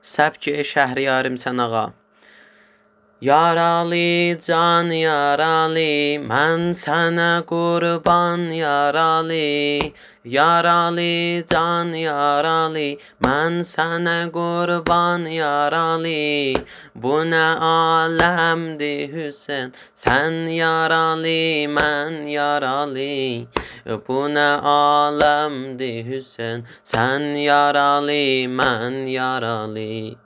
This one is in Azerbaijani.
Səbki Şəhriyarım Sənağa. Yaralı can yaralı, mən sənə qurban yaralı. Yaralı can yaralı, mən sənə qurban yaralı. Bu nə aləmdir Hüseyn, sən yaralı, mən yaralı. Bu nə aləmdir Hüseyn, sən yaralı, mən yaralı.